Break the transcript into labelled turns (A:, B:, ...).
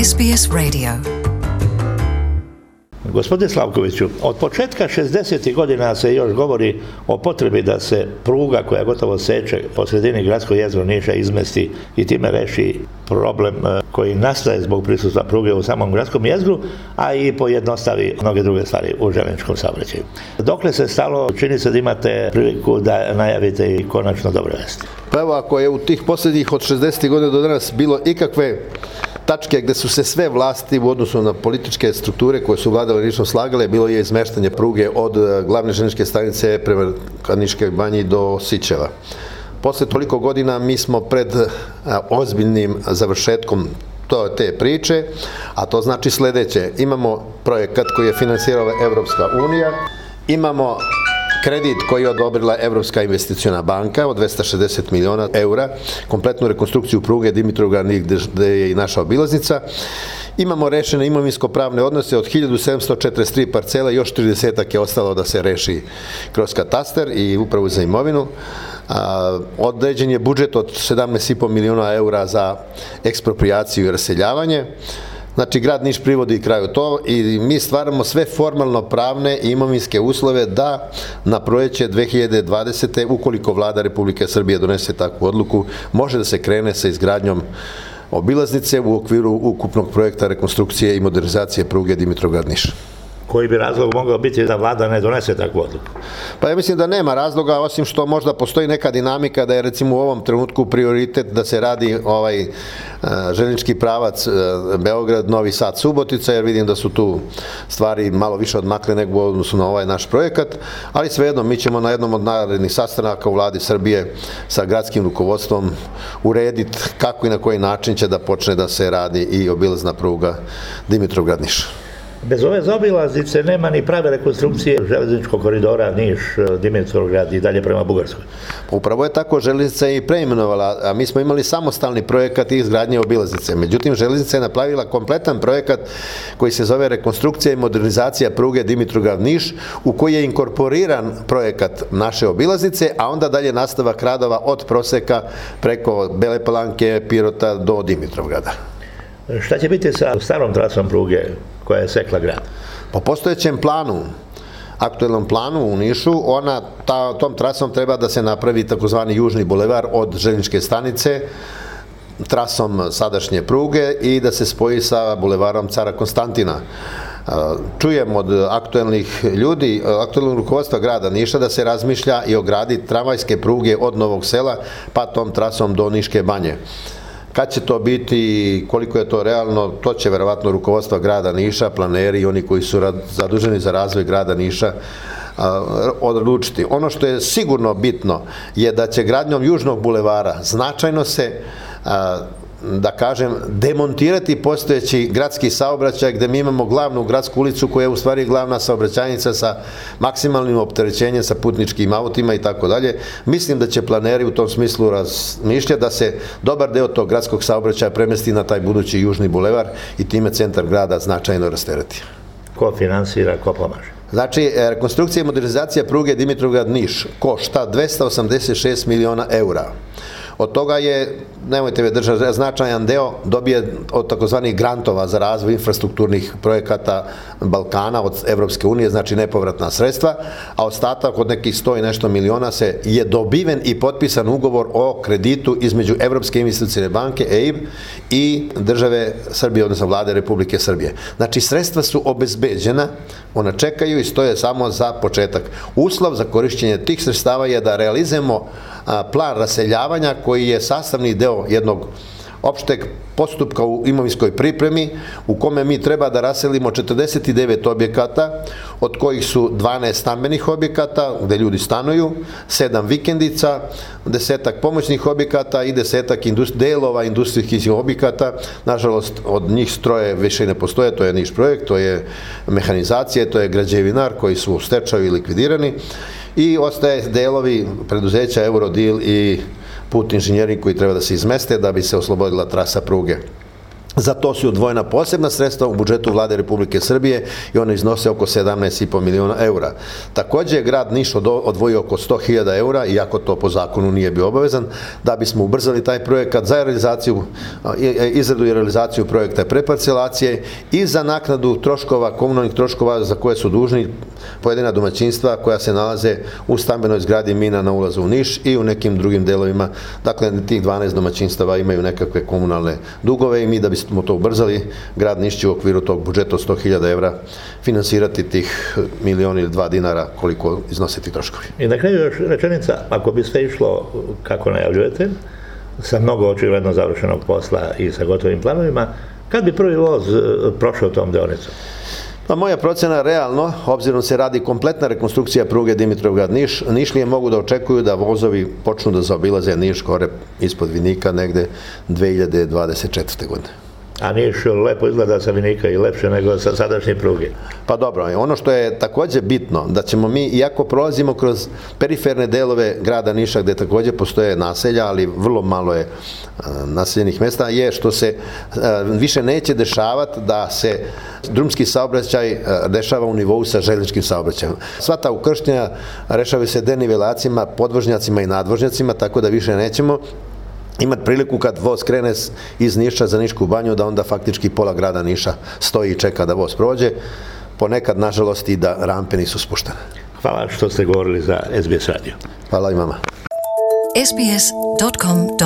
A: SBS Radio.
B: Gospodine Slavkoviću, od početka 60. godina se još govori o potrebi da se pruga koja gotovo seče po sredini gradskog jezgra Niša izmesti i time reši problem koji nastaje zbog prisustva pruge u samom gradskom jezgru, a i pojednostavi mnoge druge stvari u željezničkom saobraćaju. Dokle se stalo, čini se da imate priliku da najavite i konačno dobre vesti.
C: Pa evo, ako je u tih posljednjih od 60. godina do danas bilo ikakve tačke gde su se sve vlasti u odnosu na političke strukture koje su vladale Nišom slagale, bilo je izmeštanje pruge od glavne željezničke stanice prema Niškoj banji do Sićeva. Posle toliko godina mi smo pred ozbiljnim završetkom te priče, a to znači sledeće. Imamo projekat koji je finansirala Evropska unija, imamo kredit koji je odobrila Evropska investiciona banka od 260 miliona eura, kompletnu rekonstrukciju pruge Dimitrovgrad gde je i naša obilaznica. Imamo rešene imovinsko-pravne odnose od 1743 parcela, još 30 je ostalo da se reši kroz katastar i upravu za imovinu. Određen je budžet od 17,5 miliona eura za eksproprijaciju i raseljavanje. Znači, grad Niš privodi kraju to i mi stvaramo sve formalno pravne i imovinske uslove da na proleće 2020. ukoliko vlada Republike Srbije donese takvu odluku, može da se krene sa izgradnjom obilaznice u okviru ukupnog projekta rekonstrukcije i modernizacije pruge Dimitrovgrad-Niš.
B: Koji bi razlog mogao biti da vlada ne donese takvu odluku?
C: Pa ja mislim da nema razloga, osim što možda postoji neka dinamika da je recimo u ovom trenutku prioritet da se radi željeznički pravac Beograd, Novi Sad, Subotica, jer vidim da su tu stvari malo više odmakle nego u odnosu na ovaj naš projekat, ali svejedno mi ćemo na jednom od narednih sastanaka u vladi Srbije sa gradskim rukovodstvom urediti kako i na koji način će da počne da se radi i obilazna pruga Dimitrovgrad-Niš.
B: Bez ove zaobilaznice nema ni prave rekonstrukcije železničkog koridora Niš-Dimitrovgrad i dalje prema Bugarskoj.
C: Upravo je tako, železnica je i preimenovala, a mi smo imali samostalni projekat izgradnje obilaznice. Međutim, železnica je napravila kompletan projekat koji se zove rekonstrukcija i modernizacija pruge Dimitrovgrad-Niš, u koji je inkorporiran projekat naše obilaznice, a onda dalje nastavak radova od Proseka preko Bele Palanke, Pirota do Dimitrovgrada.
B: Šta će biti sa starom trasom pruge koja je sekla grad?
C: Po postojećem planu, aktuelnom planu u Nišu, tom trasom treba da se napravi takozvani južni bulevar od željezničke stanice, trasom sadašnje pruge i da se spoji sa bulevarom Cara Konstantina. Čujem od aktuelnih ljudi, aktuelnog rukovodstva grada Niša da se razmišlja i o gradi tramvajske pruge od Novog Sela pa tom trasom do Niške banje. Kad će to biti, koliko je to realno, to će verovatno rukovodstva grada Niša, planeri i oni koji su zaduženi za razvoj grada Niša odlučiti. Ono što je sigurno bitno je da će gradnjom južnog bulevara značajno se da kažem, demontirati postojeći gradski saobraćaj gde mi imamo glavnu gradsku ulicu koja je u stvari glavna saobraćajnica sa maksimalnim opterećenjem sa putničkim autima i tako dalje. Mislim da će planeri u tom smislu razmišljati da se dobar deo tog gradskog saobraćaja premesti na taj budući južni bulevar i time centar grada značajno rastereti.
B: Ko finansira, ko pomaže?
C: Znači, rekonstrukcija i modernizacija pruge Dimitrovgrad-Niš košta 286 miliona eura. Od toga je, nemojte me držati, značajan deo dobije od takozvanih grantova za razvoj infrastrukturnih projekata Balkana od Evropske unije, znači nepovratna sredstva, a ostatak od nekih 100 i nešto miliona je dobiven i potpisan ugovor o kreditu između Evropske investicione banke, EIB, i države Srbije, odnosno vlade Republike Srbije. Znači, sredstva su obezbeđena, ona čekaju i stoje samo za početak. Uslov za korišćenje tih sredstava je da realizujemo plan raseljavanja koji je sastavni deo jednog opšteg postupka u imovinskoj pripremi u kome mi treba da raselimo 49 objekata, od kojih su 12 stambenih objekata gde ljudi stanuju, 7 vikendica, 10 pomoćnih objekata i 10 delova industrijskih objekata. Nažalost, od njih stroje više ne postoje, to je Niš projekt, to je mehanizacija, to je građevinar koji su u stečaju i likvidirani i ostaje delovi preduzeća Eurodil i put inženjering koji treba da se izmeste da bi se oslobodila trasa pruge. Za to su odvojena posebna sredstva u budžetu Vlade Republike Srbije i one iznose oko 17,5 miliona eura. Takođe je grad Niš odvojio oko 100.000 eura, iako to po zakonu nije bio obavezan, da bismo ubrzali taj projekat za izradu i realizaciju projekta preparcelacije i za naknadu troškova, komunalnih troškova za koje su dužni pojedina domaćinstva koja se nalaze u stambenoj zgradi Mina na ulazu u Niš i u nekim drugim delovima. Dakle, tih 12 domaćinstava imaju nekakve komunalne dugove i mi da bismo to ubrzali, grad Niš će u okviru tog budžeta od 100.000 evra finansirati tih milion ili 2 dinara koliko iznose ti troškovi.
B: I na kraju još rečenica, ako biste išlo kako najavljujete, sa mnogo očigledno završenog posla i sa gotovim planovima, kad bi prvi voz prošao tom deonicom?
C: Pa moja procena realno, obzirom se radi kompletna rekonstrukcija pruge Dimitrovgrad-Niš, Nišlije mogu da očekuju da vozovi počnu da zaobilaze Niš gore ispod Vinika negde 2024. godine.
B: A Niš lepo izgleda sa Vinika i lepše nego sa sadašnje pruge.
C: Pa dobro, ono što je takođe bitno, da ćemo mi, iako prolazimo kroz periferne delove grada Niša, gde takođe postoje naselja, ali vrlo malo je naseljenih mesta, je što se više neće dešavati da se drumski saobraćaj dešava u nivou sa željezničkim saobraćajem. Sva ta ukrštanja rešavaju se denivelacijama, podvožnjacima i nadvožnjacima, tako da više nećemo imati priliku kad voz krene iz Niša za Nišku banju da onda faktički pola grada Niša stoji i čeka da voz prođe. Ponekad, nažalost, i da rampe nisu spuštene.
B: Hvala što ste govorili za SBS radio.
C: Hvala i vama.
A: sbs.com.au